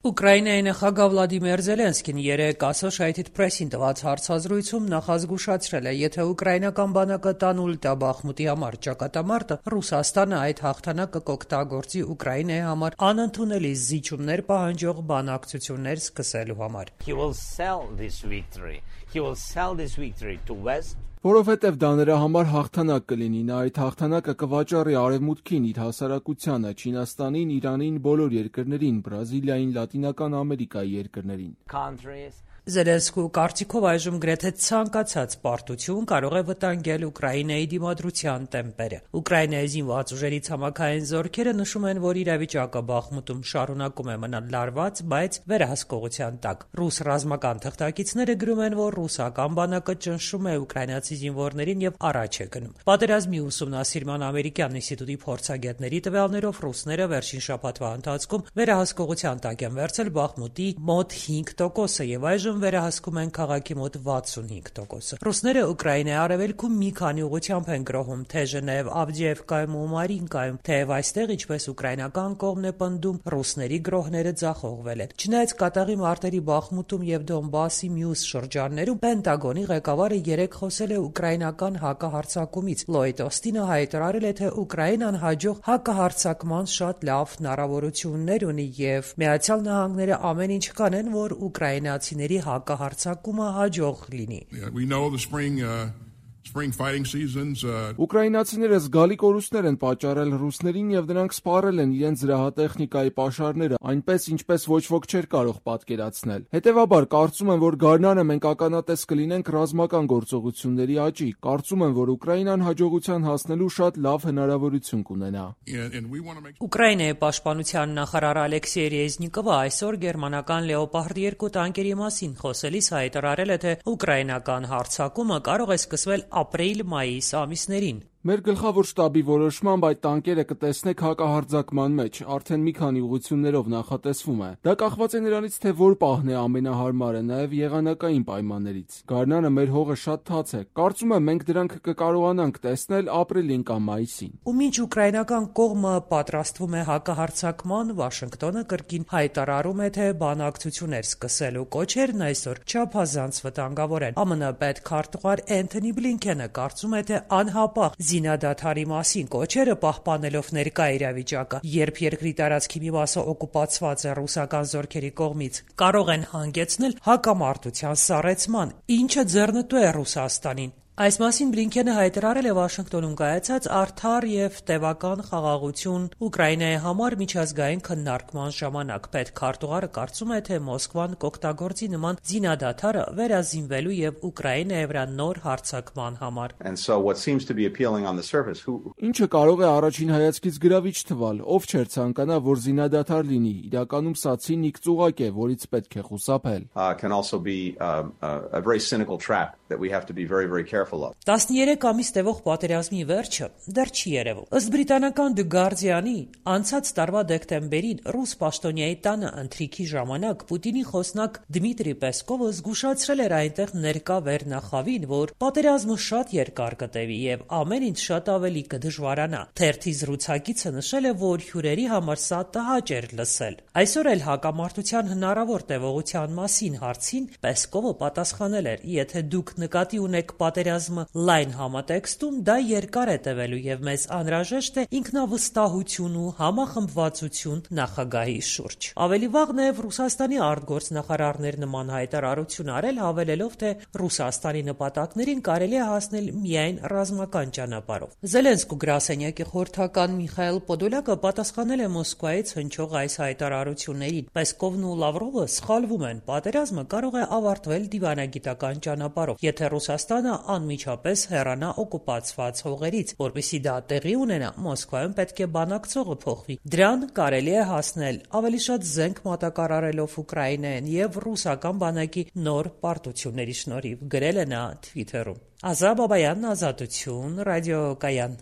Ուկրաինայի նախագահ Վլադիմիր Զելենսկին երեկ Associated Press-ին տված հարցազրույցում նախազգուշացրել է, եթե ուկրաինական բանակը տանուլ տա Բախմուտի համար ճակատամարտը, Ռուսաստանը այդ հաղթանակը կօգտագործի Ուկրաինայի համար անընդունելի զիջումներ պահանջող բանակցություններ սկսելու համար։ He will sell this victory. He will sell this victory to West. Որովհետև դա նրա համար հաղթանակ կլինի, նա այդ հաղթանակը կվաճառի Արևմուտքին, իր հասարակությանը, Չինաստանին, Իրանին, բոլոր երկրներին, Բրազիլիային, Լատինական Ամերիկայի երկրներին։ Countries. Զելենսկու կարծիքով այժմ գրեթե ցանկացած պարտություն կարող է վտանգել Ուկրաինայի դիմադրության տեմպերը։ Ուկրաինայի զինված ուժերի ցամաքային զորքերը նշում են, որ իրավիճակը Բախմուտում շարունակում է մնալ լարված, բայց վերահսկողության տակ։ Ռուս ռազմական թղթակիցները գրում են, որ ռուսական բանակը ճնշում է ուկրաինացի զինվորներին եւ առաջ է գնում։ Պատերազմի ուսումնասիրման ամերիկյան ինստիտուտի փորձագետների տվյալներով ռուսները վերջին շաբաթվա ընթացքում վերահսկողության տակ են վերցել Բախմուտի մոտ 5%-ը եւ այժմ վերահսկում են քաղաքի մոտ 65%-ը։ Ռուսները Ուկրաինայի արևելքում մի քանի ուղղությամբ են գրոհում, թե Ժնև, Ավդիևկայում ու Մարինկայում, թեև այստեղ, ինչպես ուկրաինական կողմն է պնդում, ռուսների գրոհները ձախողվել են։ Չնայած կատաղի մարտերի Բախմուտում եւ Դոնբասի մյուս շրջաններում Պենտագոնի ղեկավարը երեկ խոսել է ուկրաինական հակահարձակումից։ Լոյդ Օստինը հայտարարել է, թե Ուկրաինան հաջող հակահարձակման շատ լավ հնարավորություններ ունի եւ Միացյալ Նահանգները ամեն ինչ կանեն, որ ուկրաինացիների հակահարձակումը հաջող լինի։ We know the spring fighting seasons. Ուկրաինացիները զգալի կորուստներ են պատճառել ռուսներին եւ նրանք սպառել են իրենց զրահատեխնիկայի պաշարները, այնպես ինչպես ոչ ոք չէր կարող պատկերացնել։ Հետևաբար, կարծում եմ, որ գարնանը մենք ականատես կլինենք ռազմական գործողությունների աճի։ Կարծում եմ, որ Ուկրաինան հաջողության հասնելու շատ լավ հնարավորություն կունենա։ Ուկրաինայի պաշտպանության նախարար Ալեքսեյ Ռեզնիկովը այսօր գերմանական Լեոպարդ 2 տանկերի մասին խոսելիս հայտարարել է, թե ուկրաինական հարձակումը կարող է սկսվել ապրիլ-մայիս ամիսներին։ Մեր գլխավոր շտաբի որոշմամբ այդ տանկերը կտեսնեք հակահարձակման մեջ, արդեն մի քանի ուղղություններով նախատեսվում է։ Դա կախված է նրանից, թե որ պահն է ամենահարմարը, նաև եղանակային պայմաններից։ Գարնանը մեր հողը շատ թաց է։ Կարծում եմ, մենք դրանք կկարողանանք տեսնել ապրիլին կամ մայիսին։ Ու մինչ ուկրաինական կողմը պատրաստվում է հակահարձակման, Վաշինգտոնը կրկին հայտարարում է, թե բանակցություններ սկսելու կոչերն այսօր չափազանց վտանգավոր են։ ԱՄՆ պետքարտուղար Էնթոնի Բլինքենը կարծում է, թե անհապաղ զինադադարի մասին կոչերը պահպանելով ներկա իրավիճակը, երբ երկրի տարածքի մի մասը օկուպացված է ռուսական զորքերի կողմից, կարող են հանգեցնել հակամարտության սառեցման, ինչը ձեռնտու է Ռուսաստանին։ Այս մասին Բլինքենը հայտարարել է Վաշինգտոնում կայացած արդար եւ տևական խաղաղություն Ուկրաինայի համար միջազգային քննարկման ժամանակ։ Պետքարտուղարը կարծում է, թե Մոսկվան կօգտագործի նման զինադադարը վերազինվելու եւ Ուկրաինայի վրա նոր հարձակման համար։ Ինչը կարող է առաջին հայացքից գրավիչ թվալ, ով չէր ցանկանա, որ զինադադար լինի։ Իրականում սա ցինիկ ծուղակ է, որից պետք է խուսափել։ 13 ամիս տևող պատերազմի վերջը դեռ չի երևում։ Ըստ բրիտանական The Guardian-ի, անցած տարվա դեկտեմբերին ռուս պաշտոնյայի տանը ընթրիքի ժամանակ Պուտինի խոսնակ Դմիտրի Պեսկովը զգուշացրել էր այնտեղ ներկա վերնախավին, որ պատերազմը շատ երկար կտևի եւ ամեն ինչ շատ ավելի կդժվարանա։ Թերթի զրուցակիցը նշել է, որ հյուրերի համար սա տհաճ էր լսել։ Այսօր էլ հակամարտության հնարավոր տևողության մասին հարցին Պեսկովը պատասխանել էր. եթե դուք նկատի ունեք պատերազմը լայն համատեքստում, դա երկար է տևելու եւ մեզ անհրաժեշտ է ինքնավստահություն ու համախմբվածություն նախագահի շուրջ։ Ավելի վաղ նաեւ Ռուսաստանի արտգործնախարարներ նման հայտարարություն արել, հավելելով, թե Ռուսաստանի նպատակներին կարելի է հասնել միայն ռազմական ճանապարհով։ Զելենսկու գրասենյակի խորհրդական Միխայել Պոդոլյակը պատասխանել է Մոսկվայից հնչող այս հայտարարություններին։ Պեսկովն ու Լավրովը սխալվում են։ Պատերազմը կարող է ավարտվել դիվանագիտական ճանապարհով, եթե Ռուսաստանը անմիջապես հեռանա օկուպացված հողերից, որպեսզի դա տեղի ունենա, Մոսկվայում պետք է բանակցողը փոխվի։ Դրան կարելի է հասնել ավելի շատ զենք մատակարարելով Ուկրաինային եւ ռուսական բանակի նոր պարտությունների շնորհիվ, գրել է նա Twitter-ում։ Ազա Բաբայան, Ազատություն, ռադիոկայան։